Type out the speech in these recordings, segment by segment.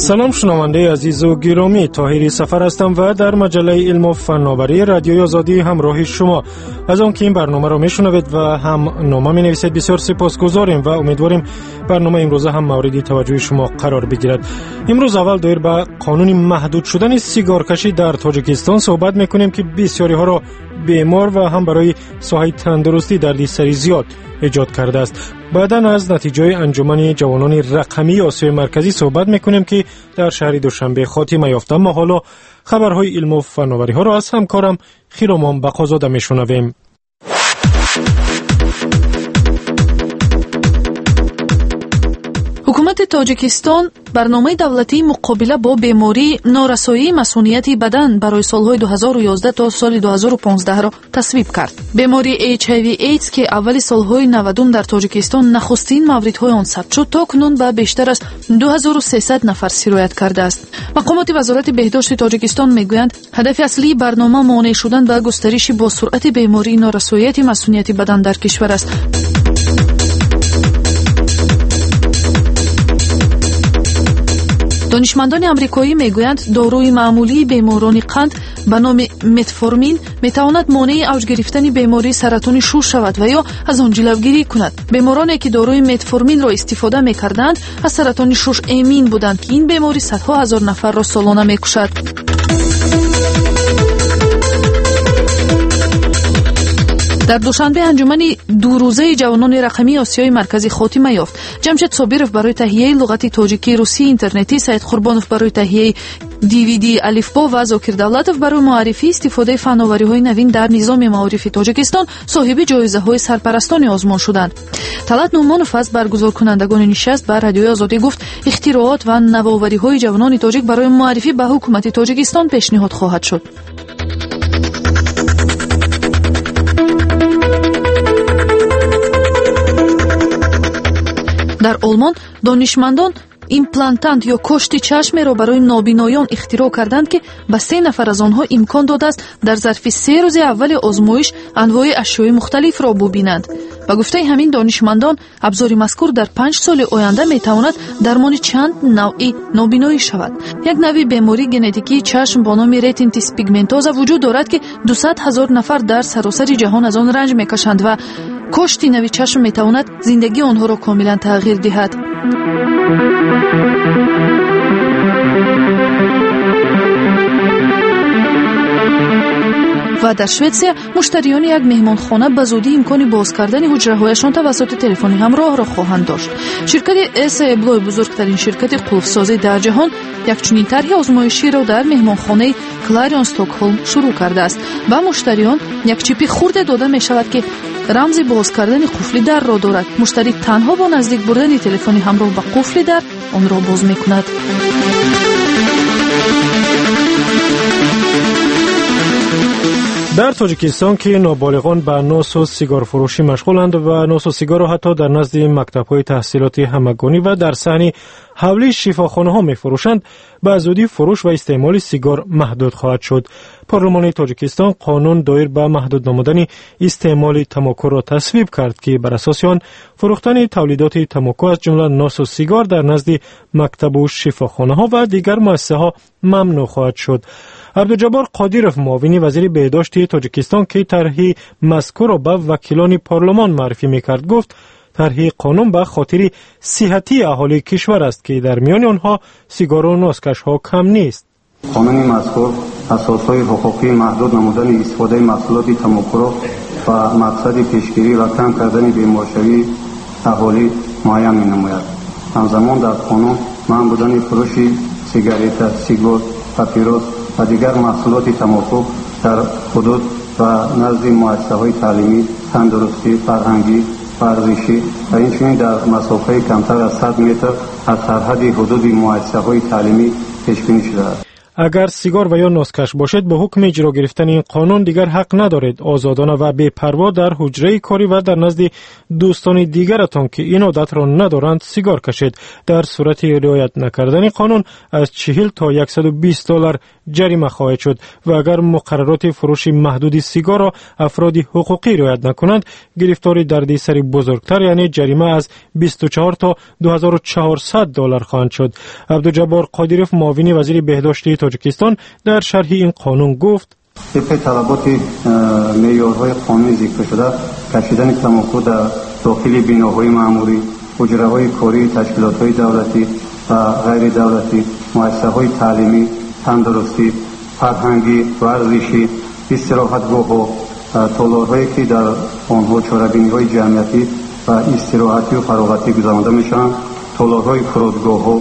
Салом, шунавандаи азизу гиромӣ, Тоҳири Сафар ҳастам ва дар маҷаллаи илму фанноварии Радиои Озодӣ ҳамроҳи шумо. Аз он ки ин барномаро мешунавед ва ҳам нома менависед, бисёр сипосгузорем ва умедворем барномаи имрӯза ҳам мавриди таваҷҷӯҳи шумо қарор бигирад. Имрӯз аввал доир ба қонуни маҳдуд шудани сигоркашӣ дар Тоҷикистон суҳбат мекунем, ки бисёриҳоро бемор ва ҳам барои соҳаи тандурустӣ дарди сари зиёд эҷод кардааст. Баъдан аз натиҷаи анҷумани ҷавонони рақамии Осиёи Марказӣ суҳбат мекунем, ки дар шаҳри Душанбе хотима ёфт. Аммо ҳоло хабарҳои илму фановариҳоро аз ҳамкорам Хиромон Бақозода мешунавем. Ҳукумати Тоҷикистон барномаи давлатии муқобила бо бемории норасоии масунияти бадан барои солҳои 2011 то соли 2015-ро тасвиб кард. Бемории HIV AIDS, ки аввали солҳои 90 дар Тоҷикистон нахустин мавридҳои он сабт шуд, то кунун ба бештар аз 2300 нафар сироят кардааст. Мақомоти Вазорати беҳдошти Тоҷикистон мегӯянд, ҳадафи аслии барнома монеъ шудан ба густариши босуръати бемории норасоияти масунияти бадан дар кишвар аст. Донишмандони амрикоӣ мегӯянд, доруи маъмулии беморони қанд ба номи метформин метавонад монеи авҷ гирифтани бемории саратони шуш шавад ва ё аз он ҷилавгирӣ кунад. Бемороне ки доруи метформинро истифода мекарданд, аз саратони шуш эмин буданд, ки ин беморӣ садҳо ҳазор нафарро солона мекушад. Дар Душанбе анҷумани дурӯзаи ҷавонони рақамии Осиёи Марказӣ хотима ёфт. Ҷамшед Собиров барои таҳияи луғати тоҷикии русии интернетӣ, Саид Қурбонов барои таҳияи DVD алифбо ва Зокир Давлатов барои муаррифии истифодаи фановариҳои навин дар низоми маорифи Тоҷикистон соҳиби ҷоизаҳои сарпарастони озмун шуданд. Талат Нумонов аз баргузоркунандагони нишаст ба Радиои Озодӣ гуфт, ихтироот ва навовариҳои ҷавонони тоҷик барои муаррифӣ ба ҳукумати Тоҷикистон пешниҳод хоҳад шуд. Дар Олмон донишмандон имплантант ё кошти чашмеро барои нобиноён ихтироъ карданд, ки ба 3 нафар аз онҳо имкон додааст дар зарфи 3 рӯзи аввали озмоиш анвои ашёи мухталифро бубинанд. Ба гуфтаи ҳамин донишмандон, абзори мазкур дар 5 соли оянда метавонад дармони чанд навъи нобиноӣ шавад. Як навъи бемории генетикии чашм бо номи ретинитис пигментоза вуҷуд дорад, ки 200 ҳазор нафар дар саросари ҷаҳон аз он ранҷ мекашанд ва кошти нави чашм метавонад зиндагии онҳоро комилан тағйир диҳад. Ва дар Шветсия муштариёни як меҳмонхона ба зудӣ имкони боз кардани ҳуҷраҳояшон тавассути телефони ҳамроҳро хоҳанд дошт. Ширкати Эса Эблой, бузургтарин ширкати қулфсозӣ дар ҷаҳон, як чунин тарҳи озмоиширо дар меҳмонхонаи Кларион Стокҳолм шурӯъ кардааст. Ба муштариён як чипи хурде дода мешавад, ки рамзи боз кардани қуфли дарро дорад. Муштарӣ танҳо бо наздик бурдани телефони ҳамроҳ ба қуфли дар онро боз мекунад. Дар Тоҷикистон, ки ноболиғон ба носу сигорфурӯшӣ машғуланд ва носу сигорро ҳатто дар назди мактабҳои таҳсилоти ҳамагонӣ ва дар саҳни ҳавлии шифохонаҳо мефурӯшанд, ба зудӣ фурӯш ва истеъмоли сигор маҳдуд хоҳад шуд. Парлумони Тоҷикистон қонун доир ба маҳдуд намудани истеъмоли тамокуро тасвиб кард, ки бар асоси он фурӯхтани тавлидоти тамоку аз ҷумла носу сигор дар назди мактабу шифохонаҳо ва дигар муассисаҳо мамнӯъ хоҳад шуд. Абдуҷаббор Қодиров, муовини вазири беҳдошти Тоҷикистон, ки тарҳи мазкурро ба вакилони парлумон муаррифӣ мекард, гуфт тарҳи қонун ба хотири сиҳатии аҳолии кишвар аст, ки дар миёни онҳо сигору носкашҳо кам нест. Қонуни мазкур асосҳои ҳуқуқии маҳдуд намудани истифодаи маҳсулоти тамокуро ба мақсади пешгирӣ ва кам кардани беморшавии аҳолӣ муайян менамояд. Ҳамзамон дар қонун манъ будани фурӯши сигарета, сигор, папирос ва дигар маҳсулоти тамоку дар ҳудуд ва назди муассисаҳои таълимӣ, тандурустӣ, фарҳангӣ, варзишӣ ва инчунин дар масофаи камтар аз 100 метр аз сарҳади ҳудуди муассисаҳои таълимӣ пешбинӣ шудааст. Агар сигор ва ё носкаш бошед, бо ҳукми иҷро гирифтани ин қонун дигар ҳақ надоред озодона ва бепарво дар ҳуҷраи корӣ ва дар назди дӯстони дигаратон, ки ин одатро надоранд, сигор кашед. Дар сурати риоят накардани қонун аз 40 то 120 доллар ҷарима хоҳед шуд ва агар муқаррароти фурӯши маҳдуди сигорро афроди ҳуқуқӣ риоят накунанд, гирифтори дардисари бузургтар, яъне ҷарима аз 24 то 2400 доллар хоҳанд шуд. Абдуҷаббор Қодиров, муовини вазири беҳдошти Тоҷикистон, дар шарҳи ин қонун гуфт: Тибқи талаботи меъёрҳои қонунӣ зикршуда, кашидани тамоку дар дохили биноҳои маъмурӣ, ҳуҷраҳои кории ташкилотҳои давлатӣ ва ғайридавлатӣ, муассисаҳои таълимӣ, тандурустӣ, фарҳангӣ, варзишӣ, истироҳатгоҳҳо, толорҳое ки дар онҳо чорабиниҳои ҷамъиятӣ ва истироҳатию фароғатӣ гузаронда мешаванд, толорҳои фурудгоҳҳо,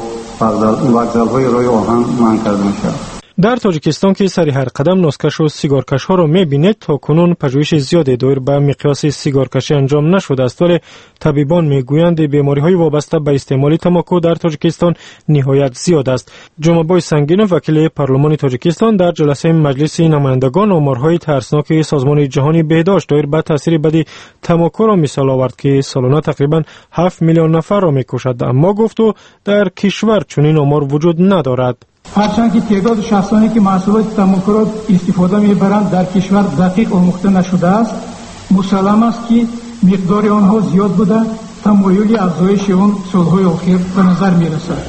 вокзалҳои роҳи оҳан манъ карда мешавад. Дар Тоҷикистон, ки сари ҳар қадам носкашу сигоркашҳоро мебинед, то кунун пажӯҳиши зиёде доир ба миқёси сигоркашӣ анҷом нашудааст, вале табибон мегӯянд, бемориҳои вобаста ба истеъмоли тамоку дар Тоҷикистон ниҳоят зиёд аст. Ҷумъабой Сангинов, вакили парлумони Тоҷикистон, дар ҷаласаи Маҷлиси намояндагон оморҳои тарсноки Созмони ҷаҳони беҳдошт доир ба таъсири бади тамокуро мисол овард, ки солона тақрибан 7 миллион нафарро мекушад, аммо, гуфт ӯ, дар кишвар чунин омор вуҷуд надорад. Ҳарчанд ки теъдоди шахсоне ки маҳсулоти тамокуро истифода мебаранд, дар кишвар дақиқ омӯхта нашудааст, мусаллам аст, ки миқдори онҳо зиёд буда, тамоюли афзоиши он солҳои охир ба назар мерасад.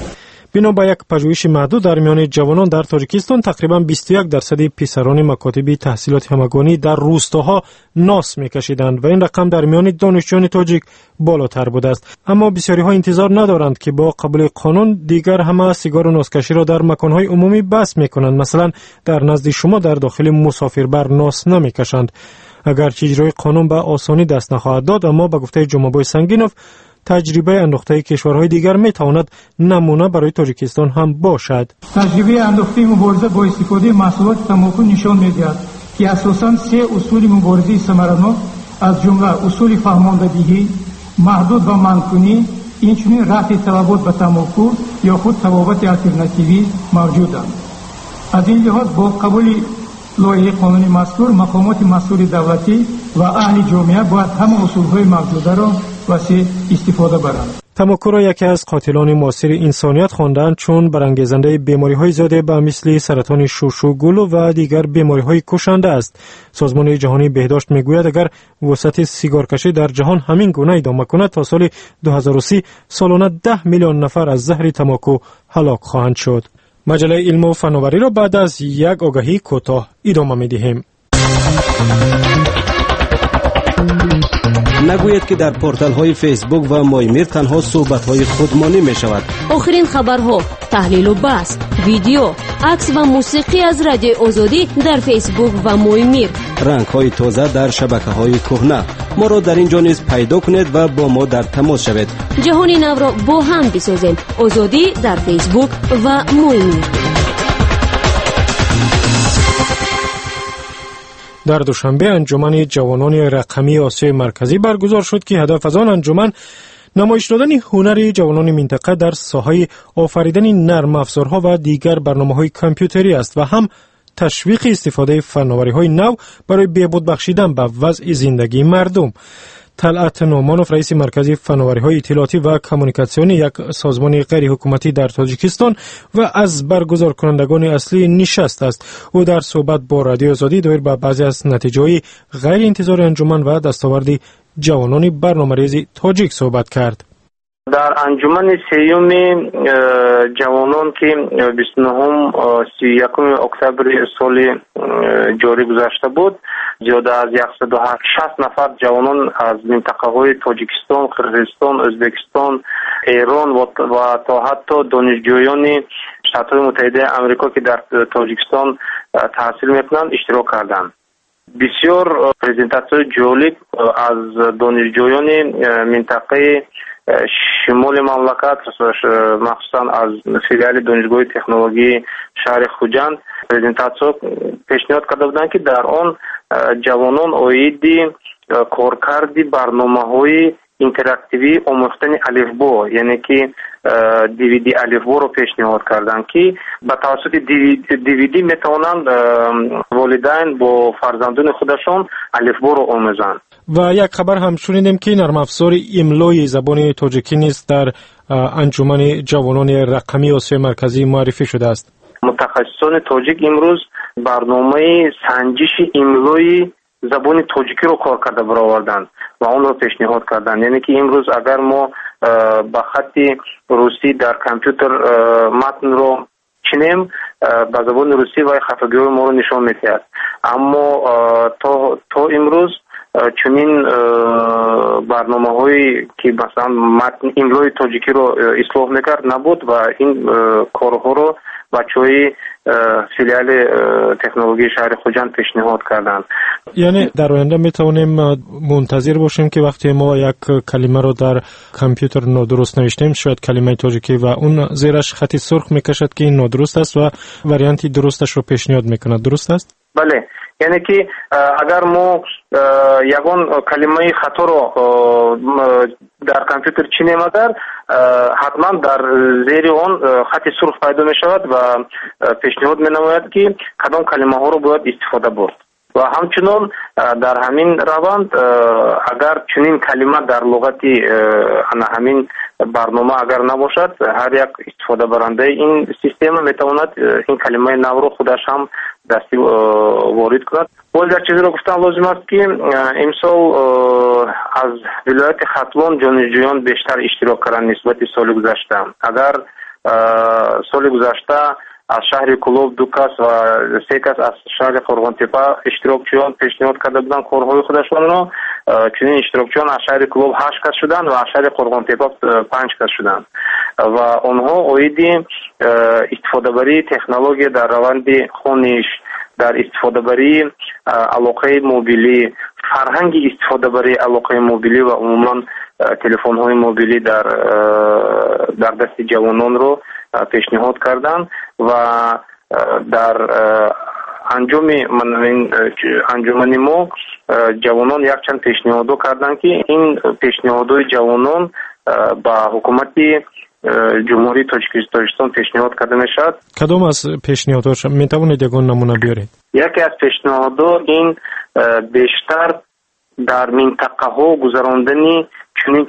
Бино ба як пажӯҳиши маҳдуд дар миёни ҷавонон дар Тоҷикистон, тақрибан 21% писарони макотиби таҳсилоти ҳамагонӣ дар рӯстоҳо нос мекашиданд ва ин рақам дар миёни донишҷӯёни тоҷик болотар будааст. Аммо бисёриҳо интизор надоранд, ки бо қабули қонун дигар ҳама сигору носкаширо дар маконҳои умумӣ бас мекунанд. Масалан, дар назди шумо дар дохили мусофирбар нос намекашанд. Агарчи иҷрои қонун ба осонӣ даст нахоҳад дод, аммо ба гуфтаи Ҷумъабой Сангинов, таҷрибаи андохтаи кишварҳои дигар метавонад намуна барои Тоҷикистон ҳам бошад. Таҷрибаи андохтаи мубориза бо истифодаи маҳсулоти тамоку нишон медиҳад, ки асосан се усули муборизаи самаранок, аз ҷумла усули фаҳмондадиҳӣ, маҳдуд ва манъкунӣ, инчунин рафъи талабот ба тамоку ё худ табобати алтернативӣ мавҷуданд. Аз ин лиҳоз, бо қабули лоиҳаи қонуни мазкур, мақомоти масъули давлатӣ ва аҳли ҷомеа бояд ҳама усулҳои мавҷударо васеъ истифода баранд. Тамокуро яке аз қотилони муосири инсоният хондаанд, чун барангезандаи бемориҳои зиёде ба мисли саратони шушу гулу ва дигар бемориҳои кушанда аст. Созмони ҷаҳонии беҳдошт мегӯяд, агар вусъати сигоркашӣ дар ҷаҳон ҳамин гуна идома кунад, то соли 2030 солона 10 миллион нафар аз заҳри тамоку ҳалок хоҳанд шуд. Маҷаллаи илму фановариро баъд аз як огаҳии кӯтоҳ идома медиҳем. Нагӯед, ки дар порталҳои Фейсбук ва Моймир танҳо суҳбатҳои худмонӣ мешавад. Охирин хабарҳо, таҳлилу баҳс, видео, акс ва мусиқӣ аз Радиои Озодӣ дар Фейсбук ва Моймир. Рангҳои тоза дар шабакаҳои кӯҳна. Моро дар ин ҷо низ пайдо кунед ва бо мо дар тамос шавед. Ҷаҳони навро бо ҳам бисозем. Озодӣ дар Фейсбук ва Моймир. Дар Душанбе анҷумани ҷавонони рақамии Осиёи Марказӣ баргузор шуд, ки ҳадаф аз он анҷуман намоиш додани ҳунари ҷавонони минтақа дар соҳаи офаридани нармафзорҳо ва дигар барномаҳои компютерӣ аст ва ҳам ташвиқи истифодаи фановариҳои нав барои беҳбуд бахшидан ба вазъи зиндагии мардум. Талъат Нӯъмонов, раиси маркази фановариҳои иттилоотӣ ва коммуникатсионӣ, як созмони ғайриҳукуматӣ дар Тоҷикистон, ва аз баргузоркунандагони аслии нишаст аст. Ӯ дар суҳбат бо Радиои Озодӣ доир ба баъзе аз натиҷаҳои ғайриинтизори анҷуман ва дастоварди ҷавонони барномарези тоҷик суҳбат кард. Дар анҷумани сеюми ҷавонон, ки 29-31 октябри соли ҷорӣ гузашта буд, зиёда аз 160 нафар ҷавонон аз минтақаҳои Тоҷикистон, Қирғизистон, Ӯзбекистон, Эрон ва то ҳатто донишҷӯёни Штатҳои Муттаҳидаи Амрико, ки дар Тоҷикистон таҳсил мекунанд, иштирок карданд. Бисёр презентатсияҳои ҷолиб аз донишҷӯёни минтақаи шимоли мамлакат, махсусан аз филиали Донишгоҳи технологии шаҳри Хуҷанд, презентатсия пешниҳод карда буданд, ки дар он ҷавонон оиди коркарди барномаҳои Интерактивии омӯхтани алифбо, яъне ки DVD алифборо пешниҳод карданд, ки ба тавассути DVD метавонанд волидайн бо фарзандони худашон алифборо омӯзанд. Ва як хабар ҳам шунидем, ки нармафзори имлои забони тоҷикӣ низ дар анҷумани ҷавонони рақамии Осиёи Марказӣ муаррифӣ шудааст. Мутахассисони тоҷик имрӯз барномаи санҷиши имлои забони тоҷикиро кор карда бароварданд ва онро пешниҳод карданд. Яъне ки имрӯз агар мо ба хатти русӣ дар компютер матнро чинем, ба забони русӣ вай хатогиҳои моро нишон медиҳад. Аммо то имрӯз чунин барномаҳое ки масалан матн имлои тоҷикиро ислоҳ мекард набуд ва ин корҳоро бачаҳои филиали технологияи шаҳри Хуҷанд пешниҳод карданд. Яъне дар оянда метавонем мунтазир бошем, ки вақте мо як калимаро дар компютер нодуруст навиштем, шояд калимаи тоҷикӣ, ва он зераш хати сурх мекашад, ки ин нодуруст аст, ва варианти дурусташро пешниҳод мекунад. Дуруст аст? Бале, яъне ки агар мо ягон калимаи хаторо дар компютер чинем, агар ҳатман дар зери он хати сурх пайдо мешавад ва пешниҳод менамояд, ки кадом калимаҳоро бояд истифода бурд. Ва ҳамчунон дар ҳамин раванд агар чунин калима дар луғати ана ҳамин барнома агар набошад, ҳар як истифодабарандаи ин система метавонад ин калимаи навро худаш ҳам дастӣ ворид кунад. Боз як чизеро гуфтан лозим аст, ки имсол аз вилояти Хатлон ҷонишҷӯён бештар иштирок карданд нисбати соли гузашта. Агар соли гузашта аз шаҳри Кӯлоб ду кас ва се кас аз шаҳри Қурғонтеппа иштирокчиён пешниҳод карда буданд корҳои худашонро, чунин иштирокчиён аз шаҳри Кӯлоб ҳашт кас шуданд ва аз шаҳри Қурғонтеппа панҷ кас шуданд ва онҳо оиди истифодабарии технология дар раванди хониш, дар истифодабарии алоқаи мобилӣ, фарҳанги истифодабарии алоқаи мобилӣ ва умуман телефонҳои мобилӣ дар дасти ҷавононро пешниҳод карданд. Ва дар анҷоми анҷумани мо ҷавонон якчанд пешниҳодҳо карданд, ки ин пешниҳодҳои ҷавонон ба ҳукумати Ҷумҳурии Тоҷикистон пешниҳод карда мешавад. Кадом аз пешниҳодҳо метавонед ягон намуна биёред? Яке аз пешниҳодҳо ин бештар дар минтақаҳо гузарондани чунин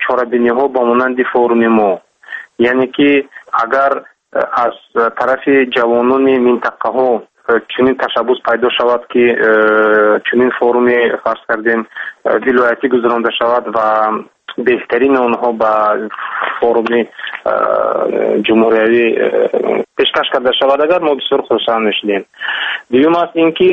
чорабиниҳо ба монанди форуми мо, яъне ки агар аз тарафи ҷавонони минтақаҳо чунин ташаббус пайдо шавад, ки чунин форуми, фарз кардем, вилоятӣ гузаронда шавад ва беҳтарини онҳо ба форуми ҷумҳуриявӣ пешкаш карда шавад, агар мо бисёр хурсанд мешудем. Дуюм аст ин ки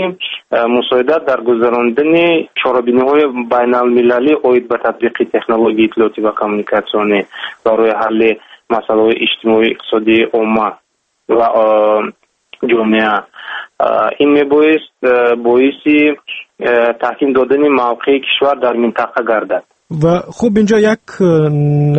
мусоидат дар гузарондани чорабиниҳои байналмилалӣ оид ба татбиқи технологияи иттилоотӣ ва коммуникатсионӣ барои ҳалли масъалаҳои иҷтимоию иқтисодии омма ва ҷомеа. Ин мебоист боиси таҳким додани мавқеи кишвар дар минтақа гардад. Ва хуб, инҷо як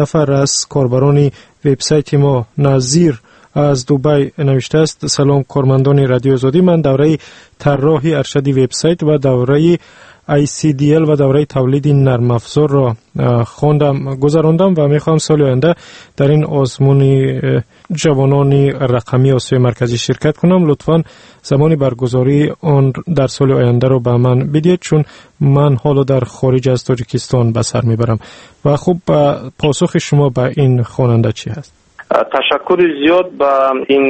нафар аз корбарони вебсайти мо, Назир аз Дубай, навиштааст: «Салом, кормандони Радиои Озодӣ. Ман давраи тарроҳи аршади вебсайт ва давраи ICDL ва давраи тавлиди нармафзорро хондам, гузарондам ва мехоҳам соли оянда дар ин озмуни ҷавонони рақамии Осиёи Марказӣ ширкат кунам. Лутфан замони баргузории он дар соли ояндаро ба ман бидиҳед, чун ман ҳоло дар хориҷ аз Тоҷикистон ба сар мебарам». Ва хуб, посухи шумо ба ин хонанда чӣ ҳаст? Ташаккури зиёд ба ин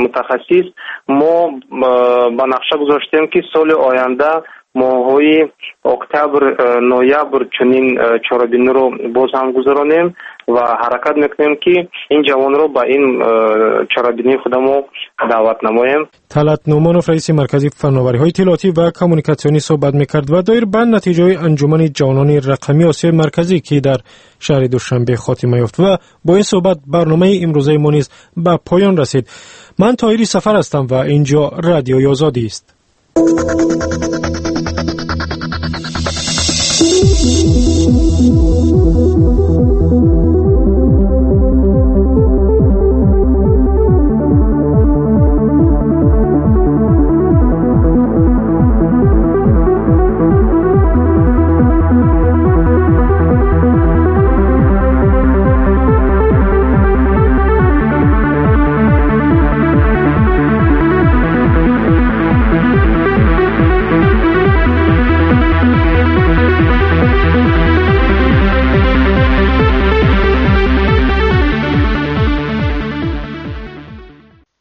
мутахассис. Мо ба нақша гузоштем, ки соли оянда моҳҳои октябр, ноябр чунин чорабиниро боз ҳам гузаронем ва ҳаракат мекунем, ки ин ҷавонро ба ин чорабинии худамо даъват намоем. Талъат Нӯъмонов, раиси маркази фановариҳои иттилоотӣ ва коммуникатсионӣ, суҳбат мекард ва доир ба натиҷаҳои анҷумани ҷавонони рақамии Осиёи Марказӣ, ки дар шаҳри Душанбе хотима ёфт. Ва бо ин суҳбат барномаи имрӯзаи мо низ ба поён расид. Ман Тоҳири Сафар ҳастам ва ин ҷо Радиои Озодӣ аст.